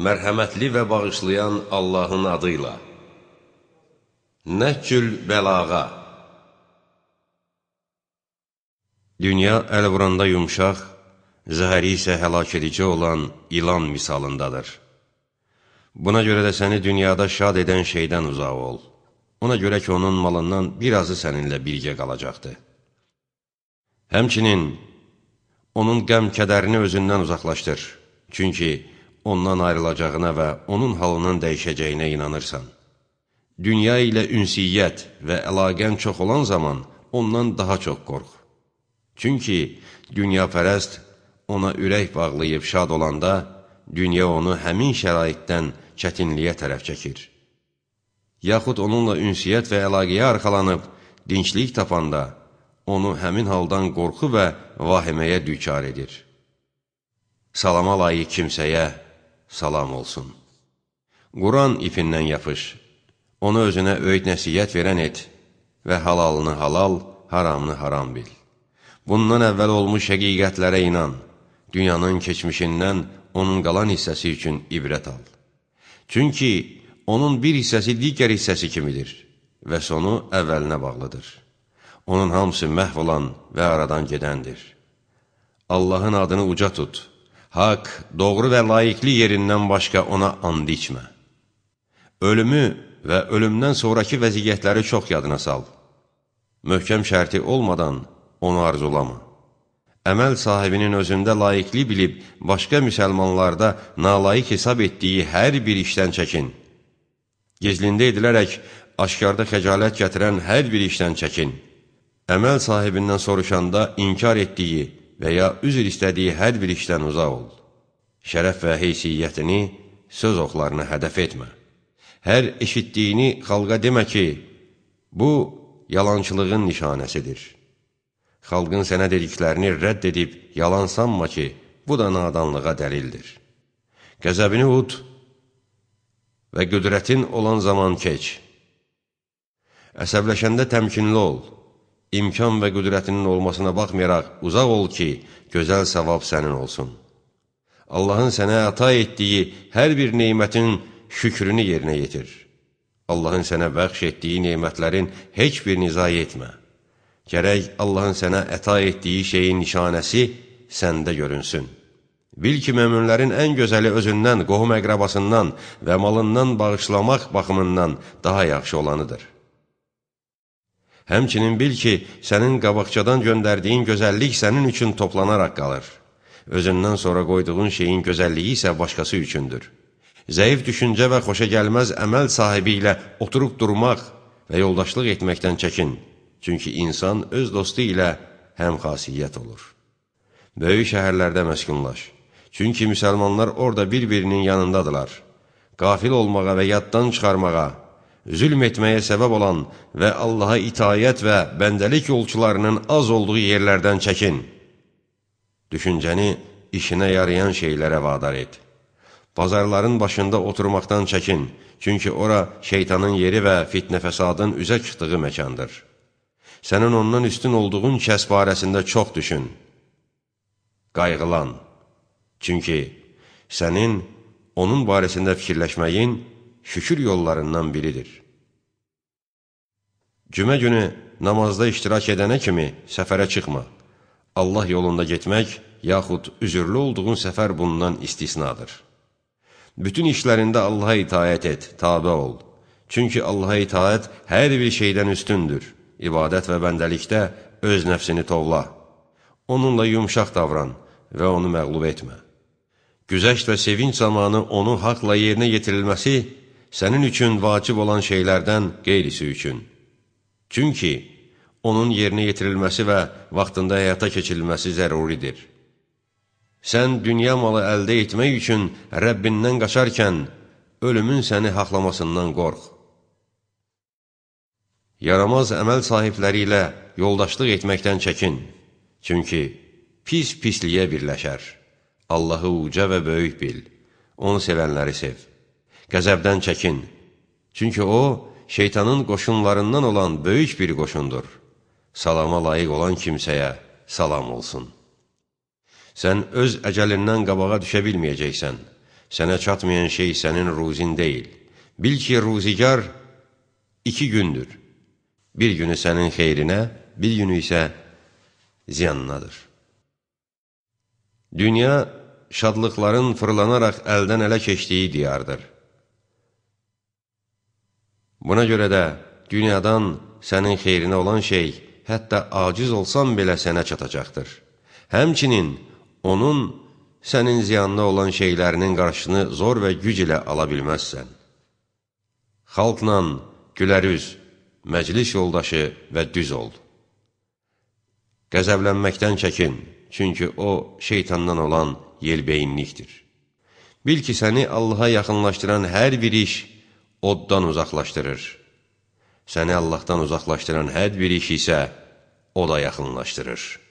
Mərhəmətli və bağışlayan Allahın adıyla. Nəhcül bəlağa. Dünya əl vuranda yumşaq, zəhəri isə həlak edici olan ilan misalındadır. Buna görə də səni dünyada şad edən şeydən uzaq ol. Ona görə ki, onun malından birazı səninlə birgə qalacaqdır. Həmçinin, onun qəm-kədərini özündən uzaqlaşdır. Çünki ondan ayrılacağına və onun halının dəyişəcəyinə inanırsan. Dünya ilə ünsiyyət və əlaqən çox olan zaman ondan daha çox qorx. Çünki dünyapərəst ona ürək bağlayıb şad olanda, dünya onu həmin şəraitdən çətinliyə tərəf çəkir. Yaxud onunla ünsiyyət və əlaqəyə arxalanıb dinçlik tapanda, onu həmin haldan qorxu və vahiməyə düçar edir. Salama layiq kimsəyə salam olsun. Quran ipindən yapış, onu özünə öyüd nəsiyyət verən et və halalını halal, haramını haram bil. Bundan əvvəl olmuş həqiqətlərə inan, dünyanın keçmişindən onun qalan hissəsi üçün ibrət al. Çünki onun bir hissəsi digər hissəsi kimidir və sonu əvvəlinə bağlıdır. Onun hamısı məhv olan və aradan gedəndir. Allahın adını uca tut. Haqq, doğru və layiqli yerindən başqa ona and içmə. Ölümü və ölümdən sonraki vəziyyətləri çox yadına sal. Möhkəm şərti olmadan onu arzulama. Əməl sahibinin özündə layiqli bilib, başqa müsəlmanlarda nalayiq hesab etdiyi hər bir işdən çəkin. Gizlində edilərək, aşkarda xəcalət gətirən hər bir işdən çəkin. Əməl sahibindən soruşanda inkar etdiyi və ya üzr istədiyi hər bir işdən uzaq ol. Şərəf və heysiyyətini söz oxlarına hədəf etmə. Hər eşitdiyini xalqa demə ki, bu yalançılığın nişanəsidir. Xalqın sənə dediklərini rədd edib yalan sanma ki, bu da nadanlığa dəlildir. Qəzəbini ud və qüdrətin olan zaman keç. Əsəbləşəndə təmkinli ol. İmkan və qüdrətinin olmasına baxmayaraq uzaq ol ki, gözəl savab sənin olsun. Allahın sənə əta etdiyi hər bir neymətin şükrünü yerinə yetir. Allahın sənə bəxş etdiyi neymətlərin heç birini zayi etmə. Gərək Allahın sənə əta etdiyi şeyin nişanəsi səndə görünsün. Bil ki, möminlərin ən gözəli özündən, qohum əqrabasından və malından bağışlamaq baxımından daha yaxşı olanıdır. Həmçinin bil ki, sənin qabaqcadan göndərdiyin gözəllik sənin üçün toplanaraq qalır. Özündən sonra qoyduğun şeyin gözəlliyi isə başqası üçündür. Zəif düşüncə və xoşa gəlməz əməl sahibi ilə oturub durmaq və yoldaşlıq etməkdən çəkin. Çünki insan öz dostu ilə həmxasiyyət olur. Böyük şəhərlərdə məskunlaş. Çünki müsəlmanlar orada bir-birinin yanındadılar. Qafil olmağa və yaddan çıxarmağa, zülm etməyə səbəb olan və Allaha itayət və bəndəlik yolçularının az olduğu yerlərdən çəkin. Düşüncəni işinə yarayan şeylərə vadar et. Bazarların başında oturmaqdan çəkin, çünki ora şeytanın yeri və fitnə-fəsadın üzə çıxdığı məkandır. Sənin ondan üstün olduğun kəs barəsində çox düşün. Qayğılan, çünki sənin onun barəsində fikirləşməyin şükür yollarından biridir. Cümə günü namazda iştirak edənə kimi səfərə çıxma. Allah yolunda getmək, yaxud üzürlü olduğun səfər bundan istisnadır. Bütün işlərində Allaha itayət et, tabe ol. Çünki Allaha itayət hər bir şeydən üstündür. İbadət və bəndəlikdə öz nəfsini tovla. Onunla yumşaq davran və onu məğlub etmə. Güzəşt və sevinç zamanı onu haqla yerinə yetirilməsi sənin üçün vacib olan şeylərdən qeyrisi üçün. Çünki onun yerinə yetirilməsi və vaxtında həyata keçirilməsi zəruridir. Sən dünya malı əldə etmək üçün Rəbbindən qaçarkən, ölümün səni haqlamasından qorx. Yaramaz əməl sahibləri ilə yoldaşlıq etməkdən çəkin. Çünki pisliyə birləşər. Allahı uca və böyük bil. Onu sevənləri sev. Qəzəbdən çəkin. Çünki o, şeytanın qoşunlarından olan böyük bir qoşundur. Salama layiq olan kimsəyə salam olsun. Sən öz əcəlindən qabağa düşə bilməyəcəksən. Sənə çatmayan şey sənin ruzin deyil. Bil ki, ruzigar 2 gündür. Bir günü sənin xeyrinə, bir günü isə ziyanınadır. Dünya şadlıqların fırlanaraq əldən ələ keçdiyi diyardır. Buna görə də dünyadan sənin xeyrinə olan şey, hətta aciz olsan belə sənə çatacaqdır. Həmçinin onun sənin ziyanına olan şeylərinin qarşısını zor və güc ilə ala bilməzsən. Xalqla gülərüz, məclis yoldaşı və düz ol. Qəzəblənməkdən çəkin, çünki o şeytandan olan yelbeyinlikdir. Bil ki, səni Allaha yaxınlaşdıran hər bir iş oddan uzaqlaşdırır. Səni Allahdan uzaqlaşdıran hər bir iş isə o da yaxınlaşdırır.